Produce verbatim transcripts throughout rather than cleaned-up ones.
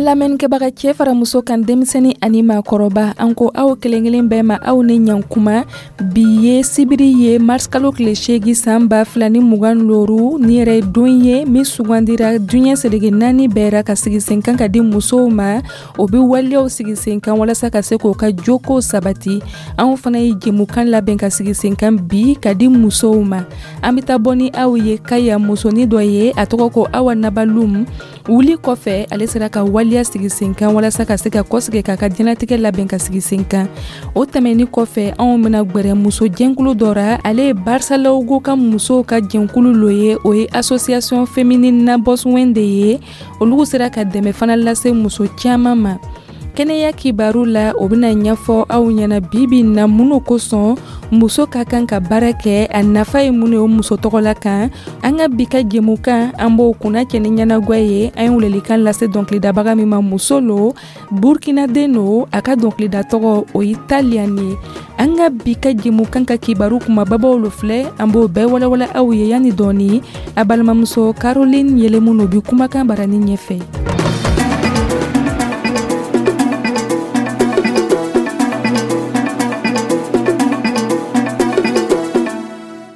Lamɛnnikɛbaga, cɛ fara muso kan, denmisɛnnin ani maakɔrɔba, an ko aw kelen kelen bɛɛ ma, aw ni ɲankuma. Bi ye sibiri ye, marisikalo tile seegi, san ba fila ni mugan looru. Ni yɛrɛ ye don ye min sugandira diɲɛ seleke naani bɛɛra ka sigi sen kan ka di musow ma. O bɛ waleyaw sigi sen kan walasa ka se k'o ka joko sabati. Anw fana ye jɛmukan labɛn ka sigi sen kan bi ka di musow ma. An bɛ taa bɔ ni aw ye Kaya, musonin dɔ ye, a tɔgɔ ko Awa Nabalum. Wuli kɔfɛ, ale sera ka waleya sigi sen kan walasa ka se ka kɔsigi k'a ka diɲɛlatigɛ labɛn ka sigi sen kan. O tɛmɛni kɔfɛ, anw bɛna gwɛrɛ muso jɛnkulu dɔ ra. Ale ye Barsalogho ka musow ka jɛnkulu lo ye, o ye Association féminine Nabɔswɛn de ye. Olu sera ka dɛmɛ fana lase muso caman ma. Kɛnɛya kibaru la, o bɛna ɲɛfɔ aw ɲɛna bibi na minnu kosɔn muso ka kan ka baara kɛ, a nafa ye mun ye o muso tɔgɔ la kan. An ka bi ka jɛmukan, an b'o kunna cɛ ni ɲɛnagwa ye. An ye welelikan lase dɔnkilidabaga min ma, muso lo, Burkinaden lo, a ka dɔnkilida tɔgɔ o ye Talian ye. An ka bi ka jɛmukan ka kibaru kumababaw lo filɛ, an b'o bɛɛ walawala aw ye yanni dɔɔni. A balimamuso Caroline Yelemu bi kumakan barani ɲɛfɛ.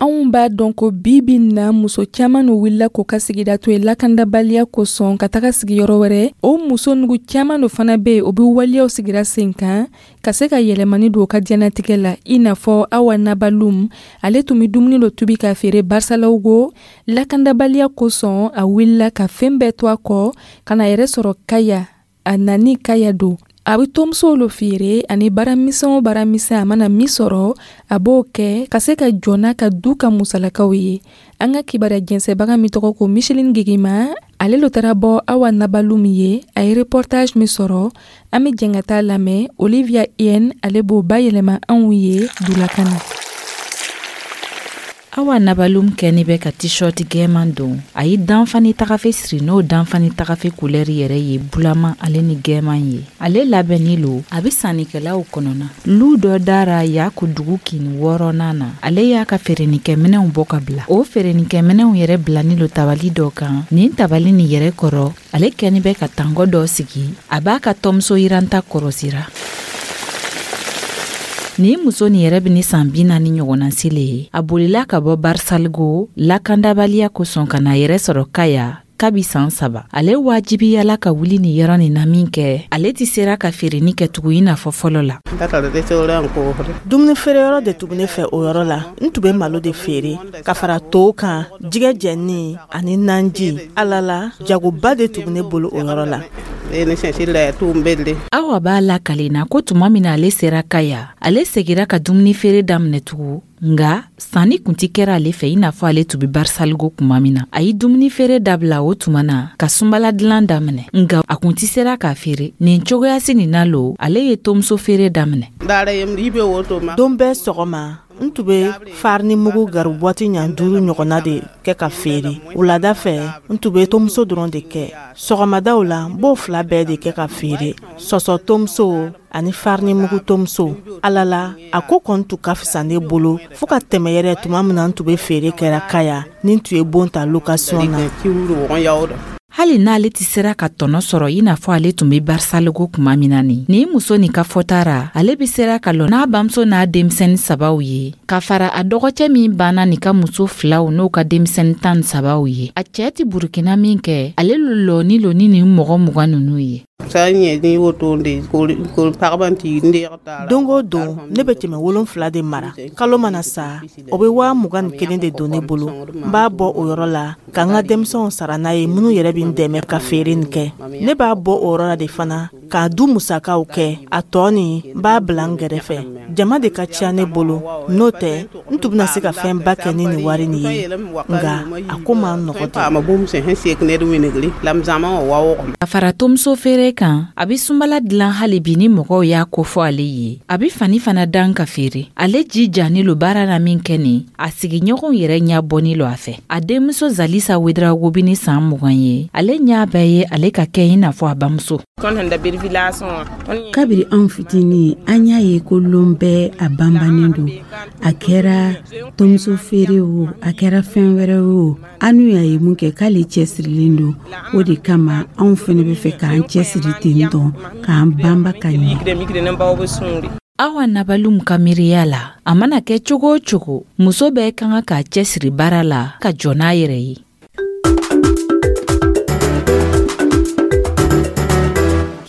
Anw b'a dɔn ko bi bi na, muso caman no wulila k'o ka sigida to yen lakandabaliya kosɔn ka taga sigiyɔrɔ wɛrɛ. O muso nugu caman do fana be yen, o be waleyaw sigira sen kan ka se ka yɛlɛmani don o ka diɲɛnatigɛ la, i n'a fɔ Awa Nabalum. Ale tun be dumuni dɔ tubi k'a feere Barsalogho. Lakandabaliya kosɔn, a wulila ka fɛn bɛɛ to a kɔ ka na yɛrɛ sɔrɔ Kaya. A nani Kaya don, a bɛ tomusow lo feere ani baaramisɛn o baaramisɛn a mana min sɔrɔ, a b'o kɛ ka se ka jɔ n'a ka du ka musalakaw ye. An ka kibaruya jɛnsɛbaga min tɔgɔ ko Micheline Gegema, ale lo taara bɔ Awa Nabalum ye. A ye reportage min sɔrɔ, an bɛ jɛn ka taa lamɛn. Olivia Yen, ale b'o bayɛlɛma anw ye dulakan na. Awa Nabalum kɛni bɛ ka t-shirt gɛman don. A ye danfani tagafe siri, n'o danfani tagafe kulɛri yɛrɛ ye bulama ale ni gɛman ye. Ale labɛnni lo, a bɛ sannikɛlaw kɔnɔna lu dɔ dara Yaku dugu kin wɔɔrɔnan na. Ale y'a ka feerenikɛminɛw bɔ ka bila. O feerenikɛminɛw yɛrɛ bilani lo tabali dɔ kan. Nin tabali nin yɛrɛ kɔrɔ, ale kɛni bɛ ka tangɔ dɔ sigi, a b'a ka tɔmuso yiranta kɔrɔsira. Nin muso nin yɛrɛ bɛ ni san bi naani ɲɔgɔnna sile ye. A bolila ka bɔ Barsalogho lakandabaliya kosɔn ka na yɛrɛ sɔrɔ Kaya kabi san saba. Ale wajibiyala ka wuli nin yɔrɔ nin na min kɛ, ale tɛ sera ka feereni kɛ tugun i n'a fɔ fɔlɔ la. Dumuni feereyɔrɔ de tun bɛ ne fɛ o yɔrɔ la. N tun bɛ malo de feere ka fara tow kan, jɛgɛ jɛni ani nanji. Ala la, jagoba de tun bɛ ne bolo o yɔrɔ la. Awa b'a lakalen na ko tuma min na ale sera Kaya, ale segira ka dumuni feere daminɛ tugun, nga sanni kun ti kɛra ale fɛ i n'a fɔ ale tun be Barsalogho kuma min na. A ye dumuni feere dabila o tuma na ka sunbala dilan daminɛ, nga a kun ti sera k'a feere nin cogoyasi nin na lo. Ale ye tomuso feere daminɛ. Don bɛɛ sɔgɔma, n tun bɛ farini mugu garibuwati ɲa duuru ɲɔgɔnna de kɛ ka feere. Wulada fɛ, n tun bɛ tomuso dɔrɔn de kɛ. Sɔgɔmadaw la, n b'o fila bɛɛ de kɛ ka feere, sɔsɔ tomuso ani farini mugu tomuso. Ala la, a ko kɔni tun ka fisa ne bolo fo ka tɛmɛ yɛrɛ tuma min na n tun bɛ feere kɛra Kaya ni n tun ye bon ta location na. Hali n'ale tɛ sera ka tɔnɔ sɔrɔ i n'a fɔ ale tun bɛ Barsalogho kuma min na nin nin muso nin ka fɔta ra, ale bɛ sera ka lɔ n'a bamuso n'a denmisɛnnin sabaw ye, ka fara a dɔgɔcɛ min banna nin ka muso filaw n'o ka denmisɛnnin tan ni sabaw ye. A cɛɛ tɛ Burukina min kɛ, ale lo lɔni lo ni nin mɔgɔ mugan ninnu ye. Don o don, ne bɛ kɛmɛ wolonfila de mara. Kalo mana sa, o bɛ waa mugan ni kelen de don ne bolo. N b'a bɔ o yɔrɔ la ka n ka denmisɛnw sara n'a ye, minnu yɛrɛ bɛ n dɛmɛ ka feere nin kɛ. Ne b'a bɔ o yɔrɔ la de fana k'a du musakaw kɛ. A tɔ nin, n b'a bila n kɛrɛfɛ. Jama de ka ca ne bolo, n'o tɛ n tun bɛna se ka fɛnba kɛ ni nin wari nin ye, nka a ko man nɔgɔ. Ka fara tomuso feere kan, a bɛ sunbala dilan hali bi ni mɔgɔw y'a kofɔ ale ye. A bɛ fani fana dan ka feere. Ale jijani lo baara la min kɛ nin, a sigiɲɔgɔnw yɛrɛ ɲɛ bɔni lo a fɛ. A denmuso Zalisa Wedrago bi ni san mugan ye, ale ɲɛ bɛɛ ye ale ka kɛ i n'a fɔ a bamuso. Kabiri anw fitinin, an y'a ye ko lon bɛɛ a banbannen don. A kɛra tomuso feere o, a kɛra fɛn wɛrɛ o, an n'u y'a ye mun kɛ k'ale cɛsirilen don. O de kama anw fɛnɛ bɛ fɛ k'an cɛsiri. siri ten tɔ k'an banba ka ɲɛ. Awa Nabalum ka miiriya la, a mana kɛ cogo o cogo, muso bɛɛ ka kan k'a cɛsiri baara la ka jɔ n'a yɛrɛ ye.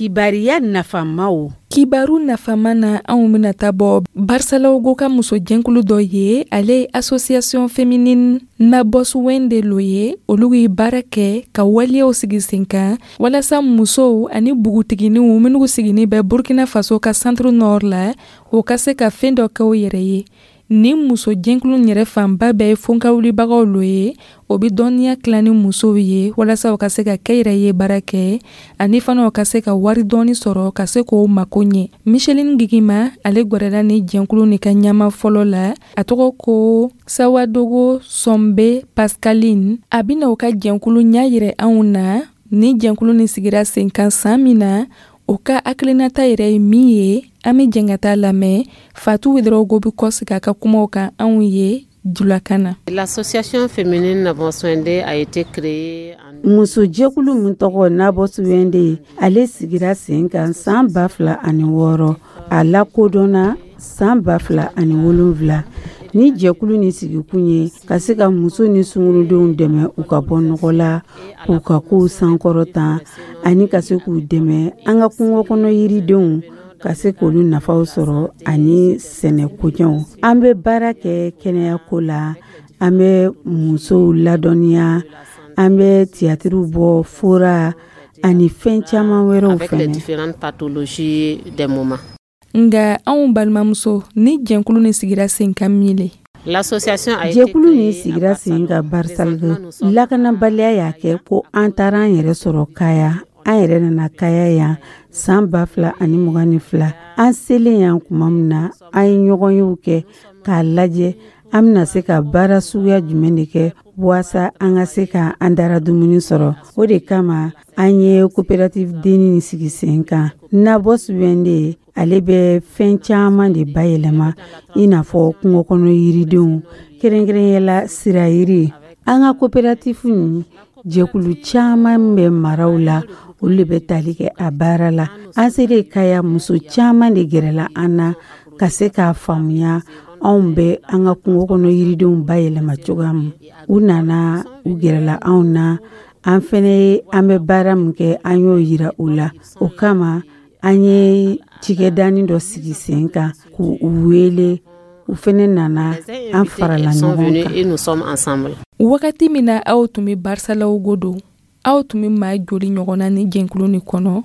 Kibariya nafamaw. Kibaru nafama na, anw bɛna taa bɔ Barsalogho ka musojɛnkulu dɔ ye. Ale ye Association féminine Nabɔsuwende lo ye. Olu ye baara kɛ ka waleyaw sigi sen kan walasa musow ani bugutiginiw minnu sigini bɛ Burkina Faso ka Centre Nord la, o ka se ka fɛn dɔ kɛ u yɛrɛ ye. Ni musojɛnkulu yɛrɛ fanba bɛɛ ye fonkawulibagaw lo ye, o bɛ dɔnniya tila ni musow ye walasa u ka se ka kɛ yɛrɛ ye baara kɛ, ani fana u ka se ka wari dɔɔni sɔrɔ ka se k'o mako ɲɛ. Micheline Gigima, ale gwɛrɛla ni jɛnkulu ni ka ɲɛma fɔlɔ la, a tɔgɔ ko Sawadogo Sɔnbe Pascaline. A bɛna u ka jɛnkulu ɲɛ yirɛ anw na. Ni jɛnkulu ni sigira sen kan san min na, o ka hakilinata yɛrɛ ye min ye, an bɛ jɛn ka taa lamɛn. Fatu Ouédraogo bɛ kɔsegin a ka kumaw kan anw ye julakan na. L'association féminine Nabɔsuwende a été créée en Musojɛkulu min tɔgɔ Nabɔsuwende, ale sigira sen kan san ba fila ani wɔɔrɔ, a lakodɔnna san ba fila ani wolonfila. Ni jɛkulu ni sigikun ye ka se ka muso ni sungurudenw dɛmɛ u ka bɔ nɔgɔ la, k'u ka kow sankɔrɔta, ani ka se k'u dɛmɛ an ka kungo kɔnɔ yiridenw ka se k'olu nafaw sɔrɔ ani sɛnɛ koɲɛw. An bɛ baara kɛ kɛnɛyako la, an bɛ musow ladɔnniya, an bɛ tiyatiriw bɔ, fura ani fɛn caman wɛrɛw avec les fɛnɛ. différentes pathologies des moments. Nga anw balimamuso, ni jɛnkulu ni sigira sen kan min le? L'association a été Jɛkulu nin créée à sigira sen kan Barsalogho. Barsalogho. Présentement, nous sommes Lakanabaliya y'a kɛ ko an taara an yɛrɛ sɔrɔ Kaya. An yɛrɛ nana Kaya yan san ba fila ani mugan ni fila. An selen yan tuma min na, an ye ɲɔgɔnyew kɛ k'a lajɛ an bɛna se ka baara suguya jumɛn de kɛ waasa an ka se ka an dara dumuni sɔrɔ. O de kama an ye coopérative denni sigi sen kan. Nabɔsuwende, ale bɛ fɛn caman de bayɛlɛma, i n'a fɔ kungo kɔnɔ yiridenw, kɛrɛnkɛrɛnyala sirayiri. An ka coopérative nin, jɛkulu caman bɛ maraw la, olu de bɛ tali kɛ a baara la. An selen Kaya, muso caman de gɛrɛla an na ka se k'a faamuya anw bɛ an ka kungo kɔnɔ yiridenw bayɛlɛma cogoya min. U nana, u gɛrɛla anw na, an fɛnɛ ye an bɛ baara min kɛ, an y'o yira u la. O kama an ye cikɛdanin dɔ sigi sen kan k'u wele, u fɛnɛ nana, an farala Elles sont ɲɔgɔn venues kan. et nous sommes ensemble. Wagati min na aw tun bɛ Barsalogho don, aw tun bɛ maa joli ɲɔgɔn na ni jɛnkulu ni kɔnɔ?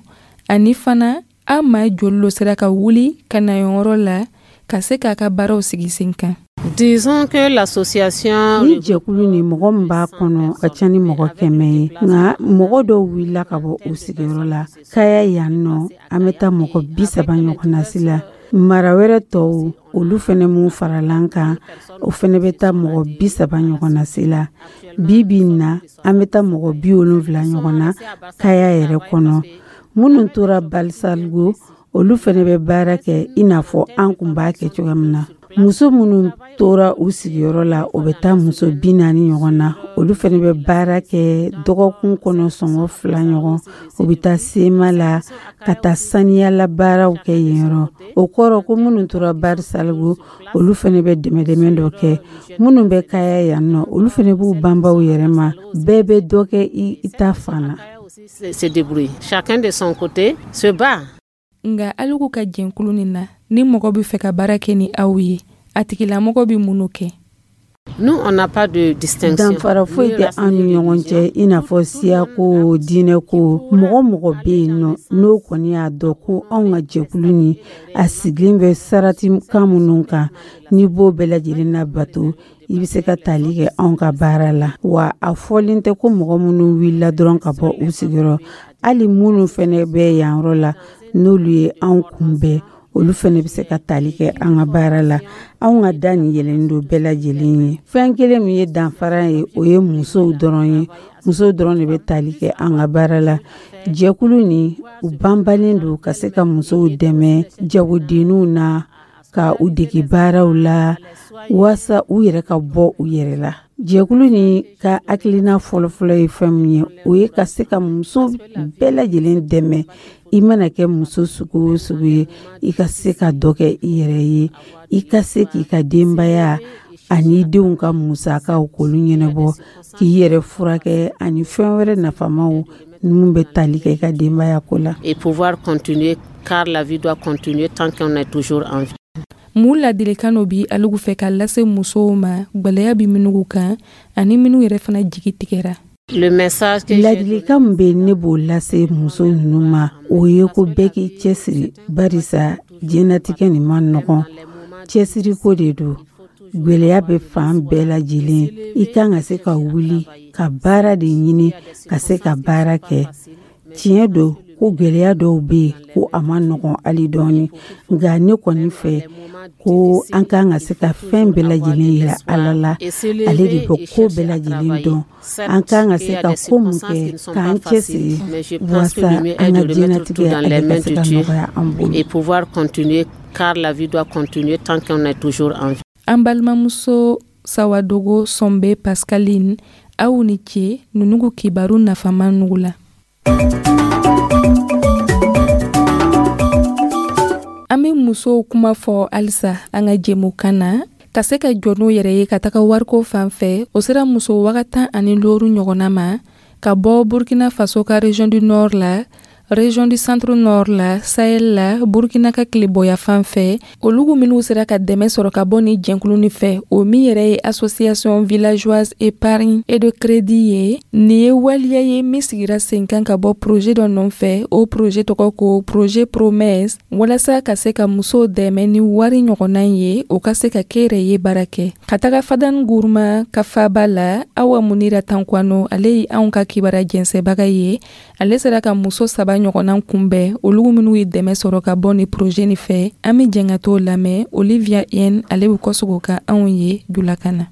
Ani fana, aw maa joli lo sera ka wuli ka na yɔrɔ la ka se k'a ka baaraw sigi sen kan? Disons que l'association Ni jɛkulu ni mɔgɔ min b'a kɔnɔ ka ca ni mɔgɔ kɛmɛ ye, nka mɔgɔ dɔw wulila ka bɔ u sigiyɔrɔ la. Kaya yan nɔ, an bɛ taa mɔgɔ bi saba ɲɔgɔn na si la. Mara wɛrɛ tɔw, olu fɛnɛ mun farala an kan, o fɛnɛ bɛ taa mɔgɔ bi saba ɲɔgɔn na si la. Bi bi in na, an bɛ taa mɔgɔ bi wolonfila ɲɔgɔn na Kaya yɛrɛ kɔnɔ. Minnu tora Balisaligo, olu fɛnɛ bɛ baara kɛ i n'a fɔ an kun b'a kɛ cogoya min na. Muso minnu tora u sigiyɔrɔ la, o bɛ taa muso bi naani ɲɔgɔn na. Olu fɛnɛ bɛ baara kɛ dɔgɔkun kɔnɔ sɔngɔ fila ɲɔgɔn. U bɛ taa sema la ka taa saniyala baaraw kɛ yen yɔrɔ. O kɔrɔ ko minnu tora Barisaligo, olu fɛnɛ bɛ dɛmɛdɛmɛ dɔ kɛ. Minnu bɛ Kaya yan nɔ, olu fɛnɛ b'u banbaw yɛrɛ ma. Bɛɛ bɛ dɔ kɛ i ta fan na. Se débrouille. Chacun de son côté se bat. Nga aliku ka jɛnkulu nin na, ni mɔgɔ bɛ fɛ ka baara kɛ ni aw ye, a tigilamɔgɔ bɛ mun kɛ? Nous, on n'a pas de distinction. Danfara foyi tɛ an ni ɲɔgɔn cɛ, i n'a fɔ siyako, diinɛko. Mɔgɔ mɔgɔ bɛ yen nɔ, n'o kɔni y'a dɔn ko anw ka jɛkulu ni a sigilen bɛ sarati kan minnu kan, n'i b'o bɛɛ lajɛlen labato, i bɛ se ka tali kɛ anw ka baara la. Wa a fɔlen tɛ ko mɔgɔ minnu wulila dɔrɔn ka bɔ u sigiyɔrɔ. Hali minnu fɛnɛ bɛ yan yɔrɔ la, n'olu ye anw kunbɛn, olu fɛnɛ bɛ se ka tali kɛ an ka baara la. Anw ka da nin yɛlɛnnen don bɛɛ lajɛlen ye. Fɛn kelen min ye danfara ye, o ye musow dɔrɔn ye. Musow dɔrɔn de bɛ tali kɛ an ka baara la. Jɛkulu nin, u banbalen don ka se ka musow dɛmɛ jagodenninw na. ka u dege baaraw la waasa u yɛrɛ ka bɔ u yɛrɛ la. Jɛkulu nin ka hakilina fɔlɔfɔlɔ ye fɛn min ye, o ye ka se ka muso bɛɛ lajɛlen dɛmɛ. I mana kɛ muso sugu o sugu ye, i ka se ka dɔ kɛ i yɛrɛ ye, i ka se k'i ka denbaya ani denw ka musakaw k'olu ɲɛnabɔ, k'i yɛrɛ furakɛ ani fɛn wɛrɛ nafamaw minnu bɛ tali kɛ i ka denbaya ko la. Et pouvoir continuer, car la vie doit continuer tant qu'on est toujours en vie. Mun ladilikan dɔ bi alugu fɛ ka lase musow ma, gwɛlɛya bi minnu kan ani minnu yɛrɛ fana jigi tigɛra? Le message que Ladilikan min bɛ ne b'o lase muso ninnu ma, o ye ko bɛɛ k'i cɛsiri, barisa diɲɛnatigɛ nin ma nɔgɔn, cɛsiriko de don. Gwɛlɛya bɛ fan bɛɛ lajɛlen, i kan ka se ka wuli ka baara de ɲini ka se ka baara kɛ. Tiɲɛ don ko gwɛlɛya dɔw bɛ yen ko a ma nɔgɔn hali dɔɔni, nka ne kɔni fɛ ko an kan ka se ka fɛn bɛɛ lajɛlen yira Ala la, ale de bɛ ko bɛɛ lajɛlen dɔn. An kan ka se ka ko mun kɛ k'an cɛsiri walasa an ka diɲɛnatigɛ ale ka se ka nɔgɔya an bolo. Et pouvoir continuer, car la vie doit continuer tant qu'on est toujours en vie. An balimamuso Sawadogo Sɔnbe Pascaline, aw ni ce nunugu kibaru nafama nugu la. An bɛ musow kuma fɔ halisa an ka jɛmukan na ka se ka jɔ n'u yɛrɛ ye ka taga wariko fan fɛ. O sera muso waga tan ani looru ɲɔgɔnna ma ka bɔ Burkina Faso ka région du Nord la, région du Centre Nord la, Sahel la, Burkina ka tileboya fan fɛ. Olugu minnu sera ka dɛmɛ sɔrɔ ka bɔ ni jɛnkulu nin fɛ, o min yɛrɛ ye Association Villageoise Épargne et de Crédit ye. Nin ye waleya ye min sigira sen kan ka bɔ projet dɔ nɔfɛ. O projet tɔgɔ ko projet Promesse, walasa ka se ka musow dɛmɛ ni wari ɲɔgɔnna ye, o ka se ka kɛ yɛrɛ ye baara kɛ. Ka taga Fadan Guruma ka faba la, Awa Munira Tankwano, ale ye anw ka kibaruya jɛnsɛbaga ye. Ale sera ka muso saba ɲɔgɔnna kunbɛn, olu minnu ye dɛmɛ sɔrɔ ka bɔ ni projet nin fɛ. An bɛ jɛn ka t'o lamɛn. Olivia N, ale bɛ kɔsegin ka anw ye julakan na.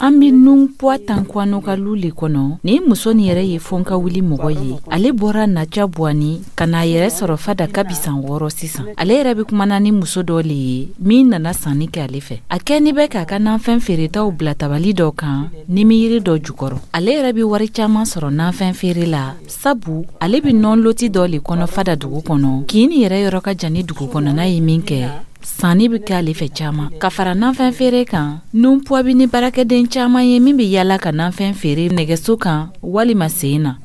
An bɛ nun puwa Tankwano ka lu le kɔnɔ. Nin muso nin yɛrɛ ye fɔn ka wuli mɔgɔ ye. Ale bɔra Naca Buwani ka n'a yɛrɛ sɔrɔ Fada kabi san wɔɔrɔ sisan. Ale yɛrɛ bɛ kumana ni muso dɔ le ye min nana sanni kɛ ale fɛ. A kɛni bɛ k'a ka nafɛn feeretaw bila tabali dɔ kan nimiyiri dɔ jukɔrɔ. Ale yɛrɛ bɛ wari caman sɔrɔ nafɛn feere la, sabu ale bɛ nɔn loti dɔ le kɔnɔ Fada dugu kɔnɔ. Kin nin yɛrɛ yɔrɔ ka jan ni dugu kɔnɔna ye min kɛ, sanni bɛ kɛ ale fɛ caman. Ka fara nafɛn feere kan, nunpuwa bɛ ni baarakɛden caman ye min bɛ yaala ka nafɛn feere nɛgɛso kan walima sen na.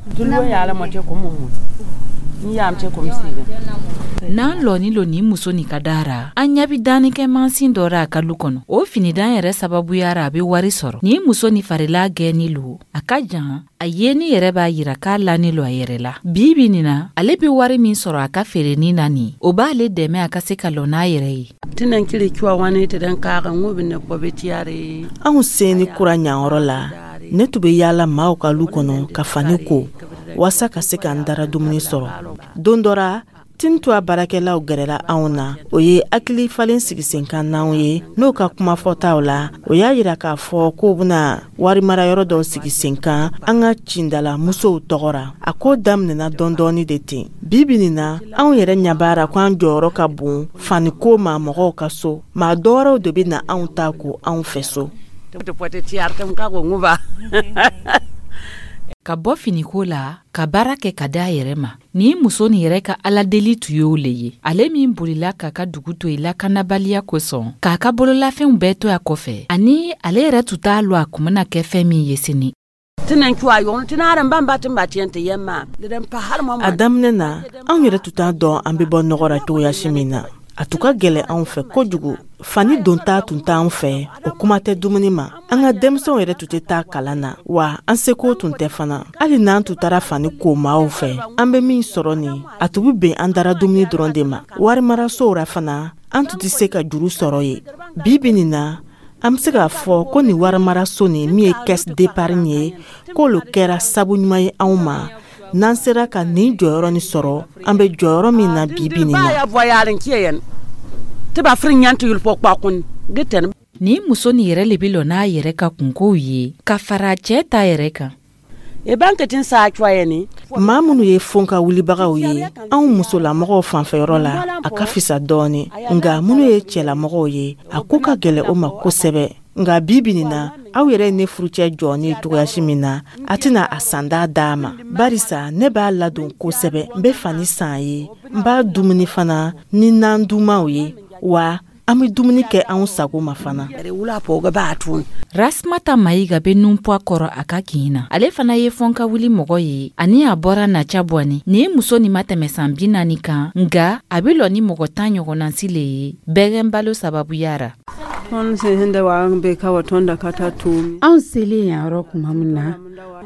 N'an lɔni lo nin muso nin ka da ra, an ɲɛ bɛ danni kɛ mansin dɔ ra a ka lu kɔnɔ. O finidan yɛrɛ sababuyara a bɛ wari sɔrɔ. Nin muso nin farila gɛnni lo, a ka jan, a yeni yɛrɛ b'a yira k'a lani lo a yɛrɛ la. Bi bi nin na, ale bɛ wari min sɔrɔ a ka feereni na nin, o b'ale dɛmɛ a ka se ka lɔ n'a yɛrɛ ye. Anw sen ni kura ɲanyɔrɔ la, ne tun bɛ yaala maaw ka lu kɔnɔ ka fani ko waasa ka se ka n dara dumuni sɔrɔ. Don dɔ ra, Tintuwa baarakɛlaw gɛrɛla anw na. O ye hakili falen sigi sen kan n'anw ye n'o ka kuma fɔtaw la. O y'a yira k'a fɔ k'o bɛna warimarayɔrɔ dɔw sigi sen kan an ka cindala musow tɔgɔ ra. A ko daminɛna dɔɔni de ten. Bi bi nin na, anw yɛrɛ ɲɛ b'a ra ko an jɔyɔrɔ ka bon faniko ma mɔgɔw ka so. Maa dɔwɛrɛw de bɛ na anw ta ko anw fɛ so. Ka bɔ finiko la ka baara kɛ ka da a yɛrɛ ma, nin muso nin yɛrɛ ka aladeli tun y'o le ye. Ale min bolila k'a ka dugu to yen lakanabaliya kosɔn, k'a ka bololafɛnw bɛɛ to a kɔfɛ, ani ale yɛrɛ tun t'a lɔn a kun bɛna kɛ fɛn min ye sini. A daminɛ na, anw yɛrɛ tun t'a dɔn an bɛ bɔ nɔgɔ la cogoya si min na. A tun ka gɛlɛn anw fɛ kojugu. Fani donta tun t'anw fɛ, o kuma tɛ dumuni ma. An ka denmisɛnw yɛrɛ tun tɛ taa kalan na, wa an seko tun tɛ fana. Hali n'an tun taara fani ko maaw fɛ, an bɛ min sɔrɔ nin, a tun bɛ bɛn an dara dumuni dɔrɔn de ma. Warimarasow ra fana, an tun tɛ se ka juru sɔrɔ yen. Bi bi nin na, an bɛ se k'a fɔ ko nin warimaraso nin min ye caisse d'épargne ye, k'olu kɛra sabu ɲuman ye anw ma. N'an sera ka nin jɔyɔrɔ nin sɔrɔ, an bɛ jɔyɔrɔ min na bi bi nin na. Nin muso nin yɛrɛ le bɛ lɔ n'a yɛrɛ ka kunkow ye ka fara cɛ ta yɛrɛ kan. Maa minnu ye fon ka wulibagaw ye, anw musolamɔgɔw fanfɛyɔrɔ la, a ka fisa dɔɔni, nka minnu ye cɛlamɔgɔw ye, a ko ka gɛlɛ o ma kosɛbɛ. Nka bi bi nin na, aw yɛrɛ ye ne furucɛ jɔ ni cogoyasi min na, a tɛna a sanda d'a ma, barisa ne b'a ladon kosɛbɛ. N bɛ fani san ye, n b'a dumuni fana ni nan dumanw ye, wa an bɛ dumuni kɛ anw sago ma fana. Rasmata Mayiga bɛ Nunpwa kɔrɔ a ka kin na. Ale fana ye fɔnka wuli mɔgɔ ye, ani a bɔra Naca Bɔni. Nin ye muso nin ma tɛmɛ san bi naani kan, nka a bɛ lɔ ni mɔgɔ tan ɲɔgɔnnasi le ye bɛgɛn balo sababuya ra. Anw selen yan yɔrɔ tuma min na,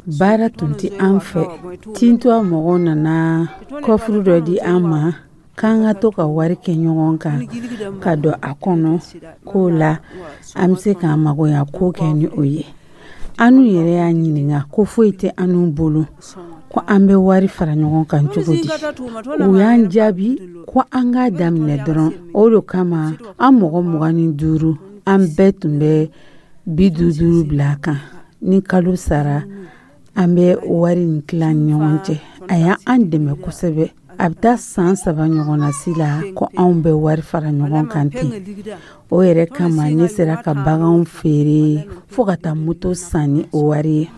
baara tun tɛ an fɛ. Tintuwa mɔgɔw nana kɔfuru dɔ di an ma k'an ka to ka wari kɛ ɲɔgɔn kan ka don a kɔnɔ, k'o la an bɛ se k'an magoya ko kɛ ni o ye. Anu yɛrɛ y'a ɲininka ko foyi tɛ anu bolo, ko an bɛ wari fara ɲɔgɔn kan cogo di? U y'an jaabi ko an k'a daminɛ dɔrɔn. O de kama an mɔgɔ mugan ni duuru, an bɛɛ tun bɛ bi duuru duuru bila a kan. Ni kalo sara, an bɛ wari in tila ni ɲɔgɔn cɛ. A y'an dɛmɛ kosɛbɛ. A bɛ taa san saba ɲɔgɔnna si la ko anw bɛ wari fara ɲɔgɔn kan ten. O yɛrɛ kama ne sera ka baganw feere fo ka taa moto san ni o wari ye.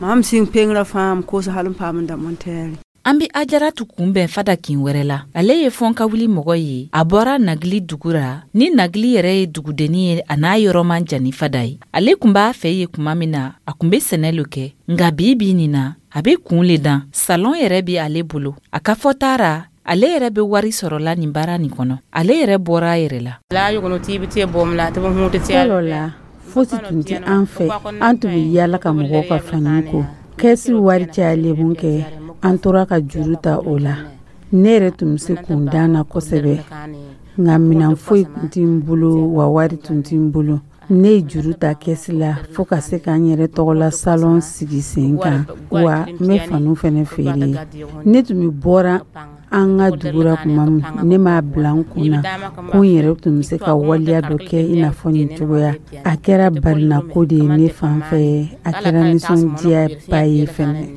An be Ajaratu kunbɛn Fada kin wɛrɛ la. Ale ye fɔnka wuli mɔgɔ ye. A bɔra Nagili dugu ra. Ni Nagili yɛrɛ ye dugudennin ye, a n'a yɔrɔ man jan ni Fada ye. Ale kun b'a fɛ ye kuma min na, a kun be sɛnɛ lo kɛ, nka bi bi nin na, a be kun le dan. Salon yɛrɛ be ale bolo. A ka fɔta ra, ale yɛrɛ be wari sɔrɔla nin baara nin kɔnɔ. Ale yɛrɛ bɔra a yɛrɛ la. Fɔlɔ la, fosi tun tɛ an fɛ. An tun bɛ yaala ka mɔgɔw ka fani ko. Kɛsi wari cayalen mun kɛ, an tora ka juru ta o la. Ne yɛrɛ tun bɛ se kun dan na kosɛbɛ, nka minɛn foyi tun tɛ n bolo, wa wari tun tɛ n bolo. Ne ye juru ta kɛsi la fo ka se ka n yɛrɛ tɔgɔla salon sigi sen kan, wa n bɛ faniw fɛnɛ feere. Ne tun bɛ bɔra an ka dugu la tuma min, ne m'a bila n kun na ko n yɛrɛ tun bɛ se ka waleya dɔ kɛ i n'a fɔ nin cogoya. A kɛra barinako de ye ne fan fɛ, a kɛra nisɔndiyaba ye fɛnɛ.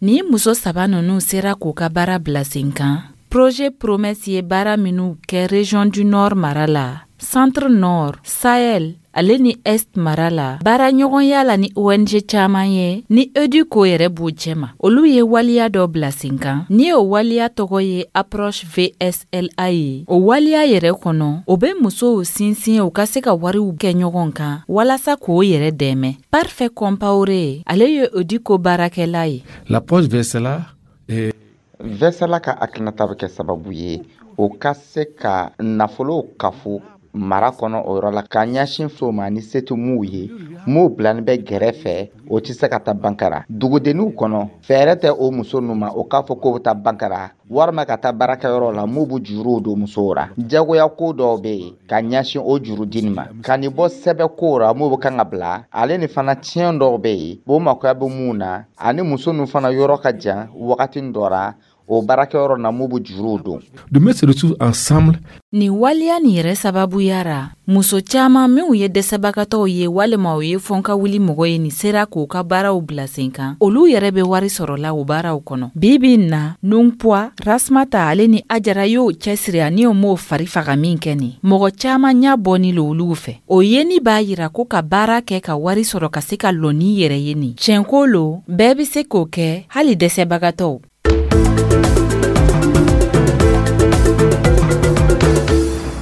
Nin muso saba ninnu sera k'u ka baara bila sen kan. Projet Promesse ye baara minnu kɛ Région du Nord mara la, Centre Nord, Sahel ale ni Est mara la, baaraɲɔgɔnya la ni O N G caaman ye, ni EDUCO yɛrɛ b'u cɛma, olu ye waliya dɔ bila sen kan ni o waliya tɔgɔ ye Approche V S L A ye. O waliya yɛrɛ kɔnɔ, o be musow sinsin u ka se ka wariw kɛ ɲɔgɔn kan walasa k'o yɛrɛ dɛmɛ. Parfait Compaoré, ale ye EDUCO baarakɛla ye. L'approche V S L A est V S L A ka hakilinata bɛ kɛ sababu ye o ka se ka nafolo kafo mara kɔnɔ o yɔrɔ la, ka ɲɛsin so ma ni se tɛ m'u ye, m'u bilani bɛ gɛrɛfɛ, o tɛ se ka taa bankara dugudenninw kɔnɔ. Fɛɛrɛ tɛ o muso ninnu ma o k'a fɔ k'o bɛ taa bankara walima ka taa baarakɛyɔrɔ la m'u bɛ juruw don musow ra. Jagoya ko dɔw bɛ yen ka ɲɛsin o jurudi ma, ka nin bɔ sɛbɛn ko ra m'u bɛ kan ka bila ale ni fana. Tiɲɛ dɔw bɛ yen, o makoya bɛ mun na, ani muso ninnu fana yɔrɔ ka jan wagati dɔ ra o baarakɛyɔrɔ na m'u bɛ juruw don. De mettre se retrouver ensemble. Nin waleya nin yɛrɛ sababuya ra, muso caaman minw ye dɛsɛbagatɔw ye walima u ye fɔnka wuli mɔgɔ ye, nin sera k'u ka baaraw bila sen kan. Olu yɛrɛ bɛ wari sɔrɔla o baaraw kɔnɔ. Bi bi in na, Nunpwa, Rasmata ale ni Ajara y'o cɛsiri ani o m'o fari faga min kɛ nin, mɔgɔ caaman ɲa bɔni lo olugu fɛ. O yeni b'a yira ko ka baara kɛ ka wari sɔrɔ ka se ka lɔ n'i yɛrɛ ye, nin tiɲɛko lo, bɛɛ be se k'o kɛ, hali dɛsɛbagatɔw.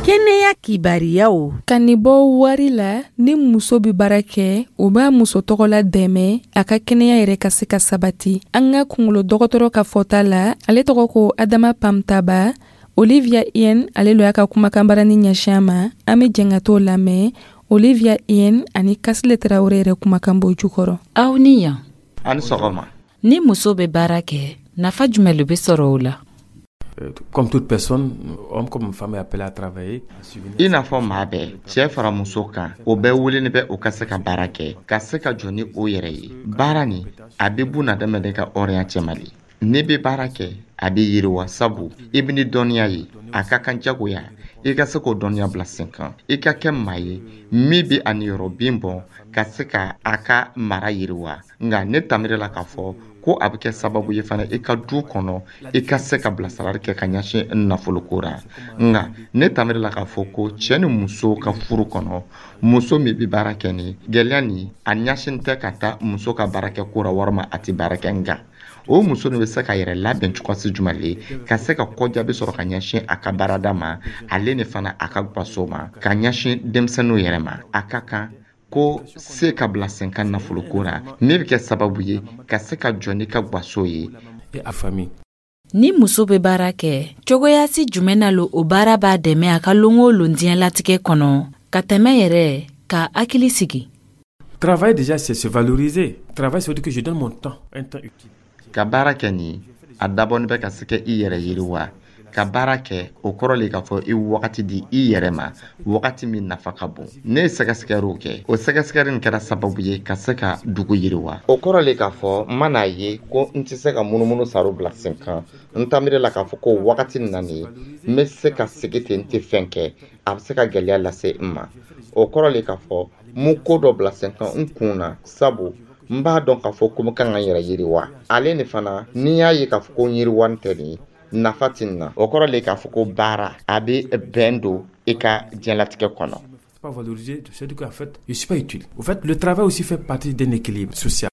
Kɛnɛya kibariyaw. Ka nin bɔ wari la, ni muso bɛ baara kɛ, o b'a muso tɔgɔla dɛmɛ a ka kɛnɛya yɛrɛ ka se ka sabati. An ka kungolo dɔgɔtɔrɔ ka fɔta la, ale tɔgɔ ko Adama Pamtaba. Olivia Ien, ale lo y'a ka kumakanbarani ɲɛsin a ma. An bɛ jɛn ka t'o lamɛn. Olivia Ien ani Kasile Tarawele yɛrɛ kumakan b'o jukɔrɔ. Aw ni yan. Ani sɔgɔma. Ni muso bɛ baara kɛ, nafa jumɛn lo bɛ sɔrɔ o la? Comme toute personne, homme comme femme est appelé à travailler. I n'a fɔ maa bɛɛ, cɛɛ fara muso kan, o bɛɛ weleni bɛ o ka se ka baara kɛ, ka se ka jɔ ni o yɛrɛ ye. Baara nin, a bɛ bunadamaden ka hɔrɔnya cɛma le. N'i bɛ baara kɛ, a bɛ yiriwa, sabu i bɛ ni dɔnniya ye. A ka kan jagoya i ka se k'o dɔnniya bila sen kan, i ka kɛ maa ye min bɛ a niyɔrɔ bin bɔ ka se ka a ka mara yiriwa. Nka ne tamiri la k'a fɔ ko a bɛ kɛ sababu ye fana i ka du kɔnɔ, i ka se ka bilasirali kɛ ka ɲɛsin nafoloko ra. Nka ne tamiri la k'a fɔ ko cɛ ni muso ka furu kɔnɔ, muso min bɛ baara kɛ, ni gɛlɛya nin a ɲɛsin tɛ ka taa muso ka baara kɛ ko ra walima a tɛ baara kɛ. Nka o muso nin bɛ se ka yɛrɛ labɛn cogoyasi jumɛn le ka se ka kɔjaabi sɔrɔ ka ɲɛsin a ka baarada ma, ale ni fana a ka gaso ma, ka ɲɛsin denmisɛnninw yɛrɛ ma. A ka kan ko se ka bila sen kan nafoloko ra min bɛ kɛ sababu ye ka se ka jɔ n'i ka gaso ye. A famille. Ni muso bɛ baara kɛ, cogoyasi jumɛn na lo o baara b'a dɛmɛ a ka lon o lon diɲɛlatigɛ kɔnɔ ka tɛmɛ yɛrɛ ka hakili sigi? Travailler déjà, c'est se valoriser. Travailler, ça veut dire que je donne mon temps, un temps utile. Ka baara kɛ nin, a dabɔnin bɛ ka se ka i yɛrɛ yiriwa. Ka baara kɛ, o kɔrɔ le k'a fɔ i wagati di i yɛrɛ ma, wagati min nafa ka bon. Ne ye sɛgɛsɛgɛliw kɛ, o sɛgɛsɛgɛli nin kɛra sababu ye ka se ka dugu yiriwa. O kɔrɔ le k'a fɔ n man'a ye ko n tɛ se ka munumunu saro bila sen kan, n tamiri la k'a fɔ ko wagati nin na nin, n bɛ se ka sigi ten, n tɛ fɛn kɛ, a bɛ se ka gɛlɛya lase n ma. O kɔrɔ le k'a fɔ n bɛ ko dɔ bila sen kan n kun na, sabu n b'a dɔn k'a fɔ ko n kan ka n yɛrɛ yiriwa. Ale ni fana, n'i y'a ye k'a fɔ ko n yiriwani tɛ nin, nafa tɛ nin na. O kɔrɔ le k'a fɔ ko baara a bɛ bɛn don i ka diɲɛlatigɛ kɔnɔ. Pas valoriser, c'est-à-dire qu'en fait, je suis pas utile. Au fait, le travail aussi fait partie d'un équilibre social.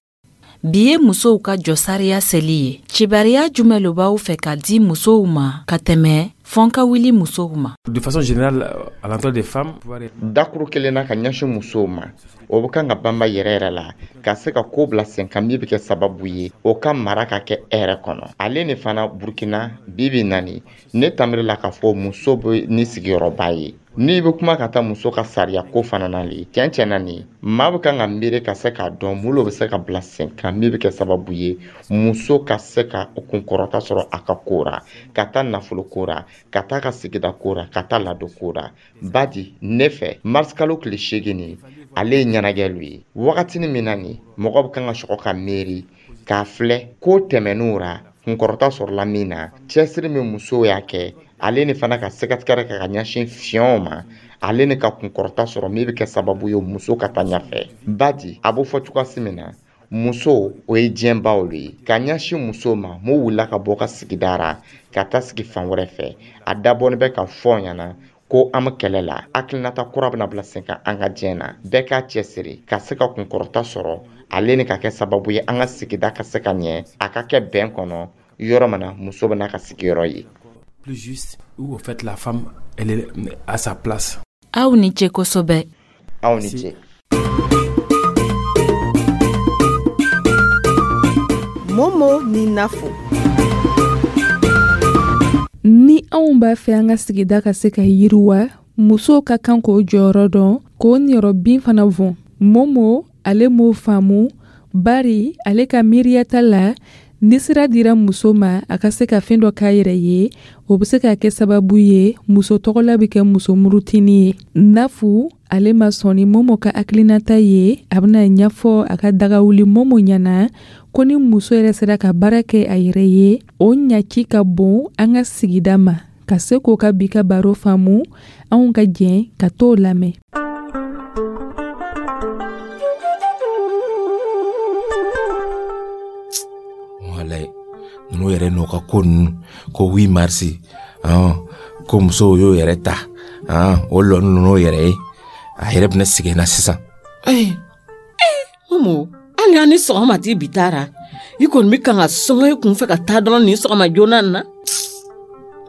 Bi ye musow ka jɔsariya seli ye. Cibariya jumɛn lo b'aw fɛ ka di musow ma ka tɛmɛ fɔn ka wuli musow ma? De façon générale, à l'endroit des femmes, Dakuru kelen na ka ɲɛsin musow ma, o bɛ kan ka banba yɛrɛ yɛrɛ la ka se ka ko bila sen kan min bɛ kɛ sababu ye o ka mara ka kɛ hɛrɛ kɔnɔ. Ale ni fana, Burukina bi bi naani, ne tamiri la k'a fɔ muso bɛ ni sigiyɔrɔba ye. N'i bɛ kuma ka taa muso ka sariya ko fana na le, tiɲɛ tiɲɛ na nin, maa bɛ kan ka miiri ka se k'a dɔn mun de bɛ se ka bila sen kan min bɛ kɛ sababu ye muso ka se ka kunkɔrɔta sɔrɔ a ka ko ra, ka taa nafolo ko ra, ka taa ka sigida ko ra, ka taa ladon ko ra. Badi ne fɛ, marisikalo tile seegin nin, ale ye ɲɛnajɛlu ye. Wagatinin min na nin, mɔgɔ bɛ kan ka sɔgɔ ka miiri k'a filɛ ko tɛmɛn'o ra, kunkɔrɔta sɔrɔla min na, cɛsiri min musow y'a kɛ, ale ni fana ka sɛgɛtigɛrɛ kɛ ka ɲɛsin fiɲɛw ma, ale ni ka kunkɔrɔta sɔrɔ min bɛ kɛ sababu ye muso ka taa ɲɛfɛ. Badi a b'o fɔ cogoyasi min na, muso o ye diɲɛbaw le ye. Ka ɲɛsin muso ma mun wulila ka bɔ ka sigida ra ka taa sigi fan wɛrɛ fɛ, a dabɔnin bɛ ka fɔ ɲɛna ko an bɛ kɛlɛ la, hakilinata kura bɛna bila sen kan an ka diɲɛ na. Bɛɛ k'a cɛsiri ka se ka kunkɔrɔta sɔrɔ, ale ni ka kɛ sababu ye an ka sigida ka se ka ɲɛ, a ka kɛ bɛn kɔnɔ yɔrɔ min na muso bɛna ka sigiyɔrɔ ye. Plus juste, où au fait la femme, elle est à sa place. Aw ni ce kosɛbɛ. Aw ni ce. Momo ni Nafo. Ni anw b'a fɛ an ka sigida ka se ka yiriwa, musow ka kan k'o jɔyɔrɔ dɔn, k'o niyɔrɔ bin fana vɔn. Momo ale m'o faamu, bari ale ka miiriyata la, ni sira dira muso ma a ka se ka fɛn dɔ k'a yɛrɛ ye, o bɛ se ka kɛ sababu ye muso tɔgɔla bɛ kɛ muso murutini ye. Nafu ale ma sɔn ni Momo ka hakilinata ye. A bɛna ɲɛfɔ a ka dagawuli Momo ɲɛna ko ni muso yɛrɛ sera ka baara kɛ a yɛrɛ ye, o ɲaci ka bon an ka sigida ma. Ka se k'o ka bi ka baro faamu, anw ka jɛn ka t'o lamɛn. Walayi, ninnu yɛrɛ n'u ka ko ninnu, ko huit mars, ko musow y'o yɛrɛ ta, o lɔni ninnu yɛrɛ ye, a yɛrɛ bɛna sigi na sisan. Ee Momo, hali an ni sɔgɔma t'i bi taara, i kɔni bɛ kan ka sɔngɔ i kun fɛ ka taa dɔrɔn nin sɔgɔma joona nin na.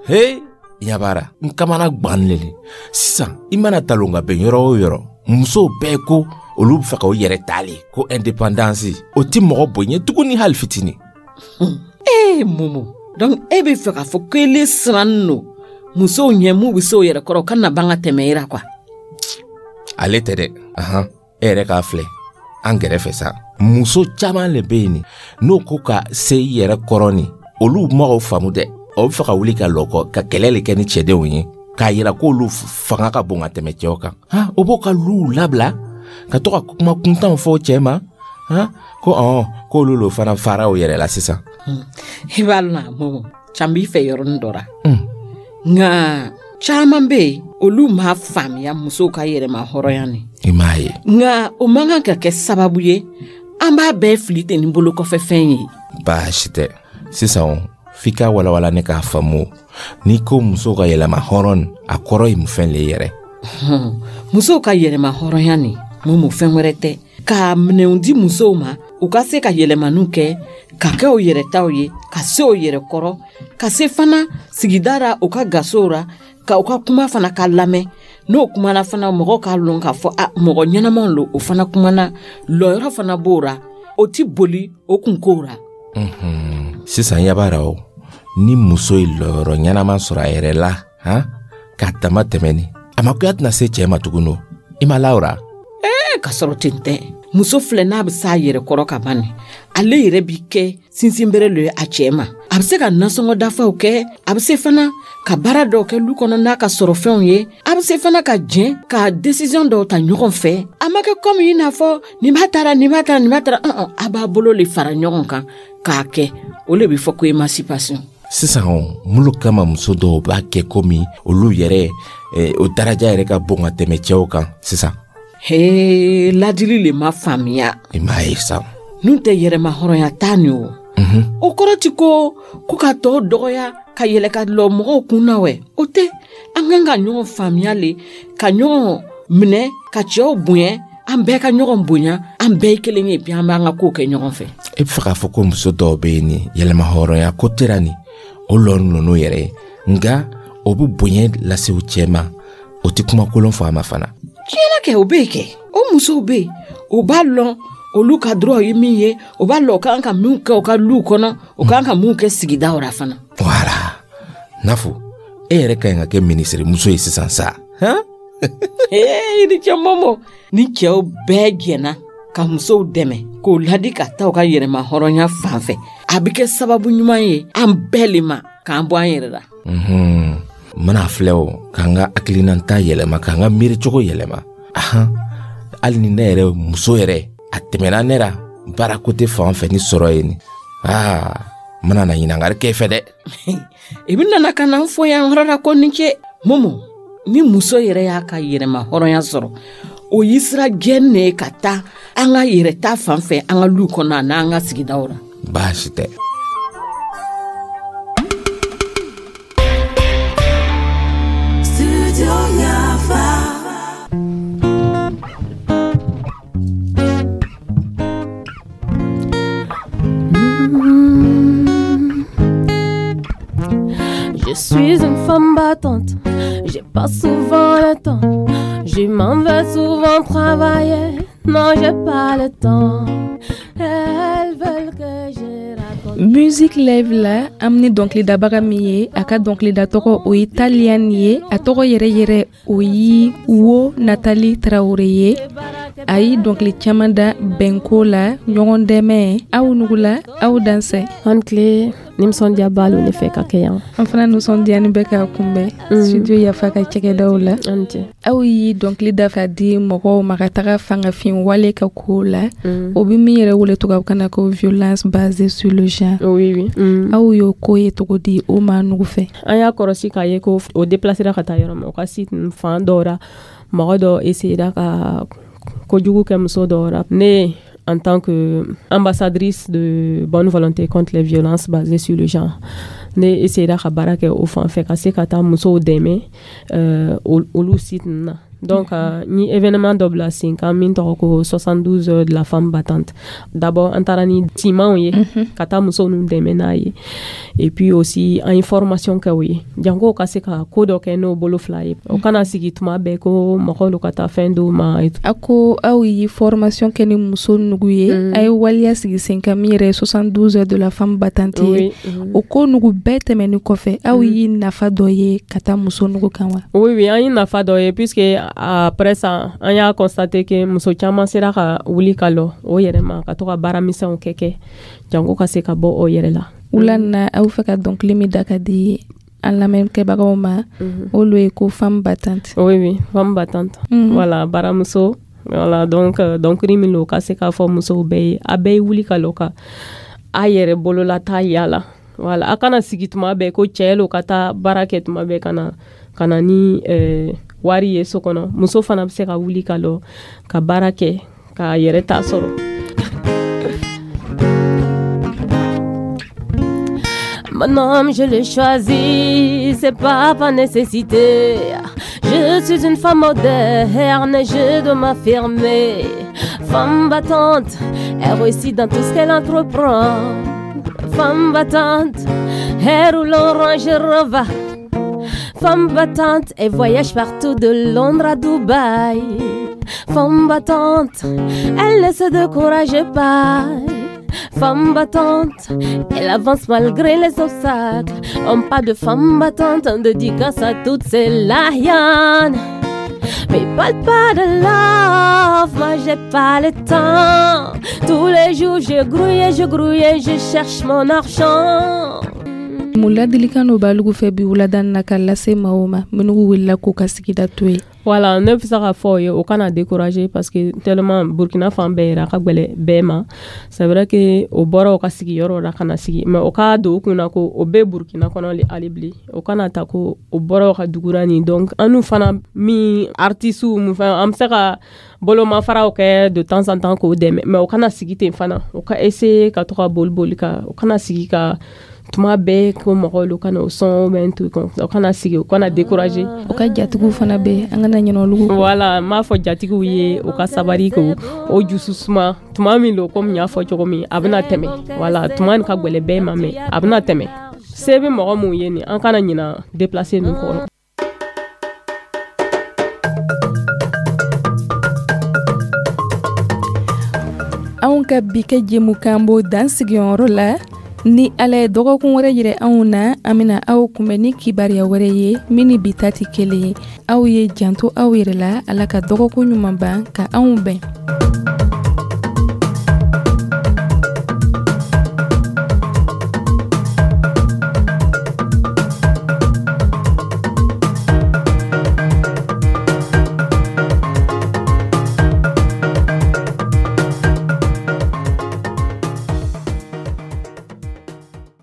He, ɲabara n kamana gbannen le sisan. I mana talon ka bɛn yɔrɔ o yɔrɔ, musow bɛɛ ko olu bɛ fɛ k'o yɛrɛ ta le, ko indépendance, o ti mɔgɔ bonya tuguni hali fitinin. Ee Momo, donc e bɛ fɛ k'a fɔ ko ele sirannen don musow ɲɛ m'u bɛ se o yɛrɛ kɔrɔ, o kana ban ka tɛmɛ e la quoi. Ale tɛ dɛ, ahan, e yɛrɛ k'a filɛ an kɛrɛfɛ sa, muso caman le bɛ yen nin, n'o ko ka se i yɛrɛ kɔrɔ nin, olu mɔgɔw faamu dɛ, o bɛ fɛ ka wuli ka lɔ kɔ ka kɛlɛ le kɛ ni cɛdenw ye, k'a yira k'olu fanga ka bon ka tɛmɛ cɛw kan. Han, o b'o ka luw labila ka to ka kuma kuntanw fɔ cɛ ma, han, ko ɔn k'olu lo fana fara o yɛrɛ la sisan. I b'a lɔn Momo, can b'i fɛ yɔrɔnin dɔ ra. Nka caman bɛ yen, olu m'a faamuya musow ka yɛrɛma hɔrɔnya ni. I m'a ye. Nka o man kan ka kɛ sababu ye an b'a bɛɛ fili ten ni bolokɔfɛfɛn ye. Baasi tɛ. Sisan f'i ka walawala ne k'a faamu, n'i ko musow ka yɛlɛma hɔrɔn, a kɔrɔ ye mun fɛn le yɛrɛ? Musow ka yɛlɛma hɔrɔnya nin, Momo, fɛn wɛrɛ tɛ, ka minɛnw di musow ma u ka se ka yɛlɛmaniw kɛ, ka kɛ o yɛrɛtaw ye, ka se o yɛrɛ kɔrɔ, ka se fana sigida ra, u ka gasow ra, ka u ka kuma fana ka lamɛn. N'o kumana fana, mɔgɔw k'a lɔn k'a fɔ a mɔgɔ ɲɛnamaw lo. O fana kumana, lɔyɔrɔ fana b'o ra, o ti boli o kunkow ra. Sisan yabara o, ni muso ye lɔyɔrɔ ɲɛnama sɔrɔ a yɛrɛ la, han, k'a dama tɛmɛni, a makoya tɛna se cɛɛ ma tuguni. O i ma la o ra? Ee, ka sɔrɔ ten tɛ. Muso filɛ, n'a bɛ s'a yɛrɛ kɔrɔ ka ban, ale yɛrɛ bi kɛ sinsinbere lo ye a cɛɛ ma. A bɛ se ka nasɔngɔ dafaw kɛ, a bɛ se fana ka baara dɔw kɛ lu kɔnɔ n'a ka sɔrɔ fɛnw ye, a bɛ se fana ka jɛn ka décision dɔw ta ɲɔgɔn fɛ. A ma kɛ komi i n'a fɔ nin b'a taara, nin b'a taara, nin b'a taara. A b'a bolo le fara ɲɔgɔn kan k'a kɛ. O le bɛ fɔ ko émancipation. Sisan mulu kama muso dɔw b'a kɛ komi olu yɛrɛ o daraja yɛrɛ ka bon ka tɛmɛ cɛw kan sisan. Hee, ladili le ma faamuya. I m'a ye sa. N'u tɛ yɛrɛma hɔrɔnya t'a nin o. O kɔrɔ ti ko ko ka tɔw dɔgɔya ka yɛlɛ ka lɔ mɔgɔw kun na wɛ. O tɛ. An kan ka ɲɔgɔn faamuya le, ka ɲɔgɔn minɛ, ka cɛw bonya, an bɛɛ ka ɲɔgɔn bonya, an bɛɛ ye kelen ye, bi an b'an ka kow kɛ ɲɔgɔn fɛ. E bɛ fɛ k'a fɔ ko muso dɔw bɛ yen nin yɛlɛma hɔrɔnya ko tɛra nin, o lɔn ninnu yɛrɛ ye, nka o bɛ bonya lase u cɛ ma, o tɛ kuma kolon fɔ a ma fana. Tiɲɛna kɛ, o bɛ yen kɛ. O musow bɛ yen, o b'a lɔn olu ka droit ye min ye, o b'a lɔn o kan ka min kɛ u ka luw kɔnɔ, o kan ka mun kɛ sigidaw la fana. Wala Nafu, e yɛrɛ ka ɲi ka kɛ minisiri muso ye sisan sa. Ee, i ni ce Momo. Ni cɛw bɛɛ jɛnna ka musow dɛmɛ k'o ladi ka taa u ka yɛrɛma hɔrɔnya fan fɛ, a bɛ kɛ sababu ɲuman ye an bɛɛ le ma k'an bɔ an yɛrɛ la. N mana filɛ o, k'an ka hakilinata yɛlɛma, k'an ka miiricogo yɛlɛma. Ahan, hali ni ne yɛrɛ muso yɛrɛ a tɛmɛna ne la baara kote fan fɛ ni sɔrɔ ye nin, aa, n mana na ɲininkali kɛ fɛ dɛ. I bɛ nana ka na n fɔ yan yɔrɔ la ko ni ce Momo. Ni muso yɛrɛ y'a ka yɛrɛma hɔrɔnya sɔrɔ, o y'i sira gɛn ne ka taa an ka yɛrɛ ta fan fɛ, an ka luw kɔnɔ a n'an ka sigidaw la. Baasi tɛ. Je suis une femme battante, j'ai pas souvent le temps. Je m'en vais souvent travailler, non j'ai pas le temps. Elles veulent que je raconte. Musique live la, an ni dɔnkilidabaga min ye, a ka dɔnkilida tɔgɔ o ye Taliane ye, a tɔgɔ yɛrɛ yɛrɛ o ye Wo Nathalie Traoré ye. A ye dɔnkili caman da bɛnko la, ɲɔgɔn dɛmɛ. Aw nugula, aw dansɛ. An tile nisɔndiyaba lo ne fɛ ka kɛ yan. An fana nisɔndiyani bɛ k'a kunbɛn studio Yafa ka cakɛdaw la. An cɛ. Aw ye dɔnkili da ka di mɔgɔw ma ka taga fangafin wale ka ko la, o bɛ min yɛrɛ wele tubabukan na ko violence basée sur le genre. Oui, oui. Aw y'o ko ye cogo di o maa nugu fɛ? An y'a kɔlɔsi k'a ye ko o déplacera ka taa yɔrɔ min, o ka site fan dɔw la, mɔgɔ dɔ essayera ka kojugu kɛ muso dɔw la. Ne, en tant que ambassadrice de bonne volonté contre les violences basées sur le genre, ne essayera ka baara kɛ o fan fɛ ka se ka taa musow dɛmɛ olu site ninnu na. Donc ni événement dɔ bila sen kan min tɔgɔ ko soixante-douze heures de la femme battante. D'abord an taara ni simanw ye ka taa musow ninnu dɛmɛ n'a ye, et puis aussi an ye formation kɛ o ye janko ka se ka ko dɔ kɛ n'o bolo fila ye, o kana sigi tuma bɛɛ ko mɔgɔw ka taa fɛn d'u ma. A ko aw ye formation kɛ ni muso nugu ye, a ye waleya sigi sen kan min yɛrɛ ye soixante-douze heures de la femme battante ye. O ko nugu bɛɛ tɛmɛnen kɔfɛ, aw ye nafa dɔ ye ka taa muso nugu kan wa? Oui, oui, an ye nafa dɔ ye, puisque après ça an y'a constaté que muso caman sera ka wuli ka lɔ o yɛrɛ ma, ka to ka baara misɛnw kɛ kɛ janko ka se ka bɔ o yɛrɛ la. Wula na aw fɛ ka dɔnkili min da ka di an lamɛnkɛbagaw ma, olu ye ko femme battante. Oui, oui, femme battante. Voilà, baramuso. Voilà, donc dɔnkili min don ka se k'a fɔ musow bɛɛ ye, a bɛɛ ye wuli ka lɔ ka A yɛrɛ bolola taa yala. Voilà, a kana sigi tuma bɛɛ ko cɛ lo ka taa baara kɛ tuma bɛɛ ka na ka na ni eh, wari ye so kɔnɔ. Muso fana bɛ se ka wuli ka lɔ ka baara kɛ k'a yɛrɛ ta sɔrɔ. Mon homme, je l'ai choisi, c'est pas par nécessité. Je suis une femme moderne et je dois m'affirmer. Femme battante, elle réussit dans tout ce qu'elle entreprend. Femme battante, elle roule en Range Rover. Femme battante, elle voyage partout de Londres à Dubaï. Femme battante, elle ne se décourage pas. Femme battante, elle avance malgré les obstacles. On parle de femme battante, on dédicace à toutes ces lahianes. Mais parle pas de love, moi j'ai pas le temps. Tous les jours je grouille, je grouille, je cherche mon argent. Mun ladilikan dɔ b'alugu fɛ bi wulada na ka lase maaw ma minnu wulila k'u ka sigida to yen? Voilà, ne bɛ se k'a fɔ o ye, o kana décourager, parce que tellement Burkina fan bɛɛ yɛrɛ a ka gwɛlɛ bɛɛ ma. C'est vrai que o bɔra o ka sigiyɔrɔ la ka na sigi, mais o k'a don o kunna ko o bɛ Burkina kɔnɔ hali bilen. O kana ta ko o bɔra o ka dugura nin. Donc an n'u fana min artistes mun fɛn, an bɛ se ka bolomafaraw kɛ de temps en temps k'o dɛmɛ, mais o kana sigi ten fana. O ka essayer ka to ka boli boli ka, o kana sigi ka tuma bɛɛ ko mɔgɔw lu kana o sɔn bɛ to, o kana sigi, o kana décourager. O ka jatigiw fana bɛ, an kana ɲinɛ olu kɔ. Voilà, n b'a fɔ jatigiw ye, o ka sabari, k'o o jusu suma tuma min don. Komi n y'a fɔ cogo min, a bɛna tɛmɛ. Voilà, tuma nin ka gwɛlɛ bɛɛ ma, mais a bɛna tɛmɛ. Se bɛ mɔgɔ mun ye nin, an kana ɲina déplacer ninnu kɔrɔ. Anw ka bi kɛ jɛmukan b'o dan sigiyɔrɔ la. Ni Ala ye dɔgɔkun wɛrɛ yira anw na, an bɛna aw kunbɛn ni kibaruya wɛrɛ ye min ni bi ta tɛ kelen ye. Aw ye janto aw yɛrɛ la. Ala ka dɔgɔkun ɲuman ban ka anw bɛn.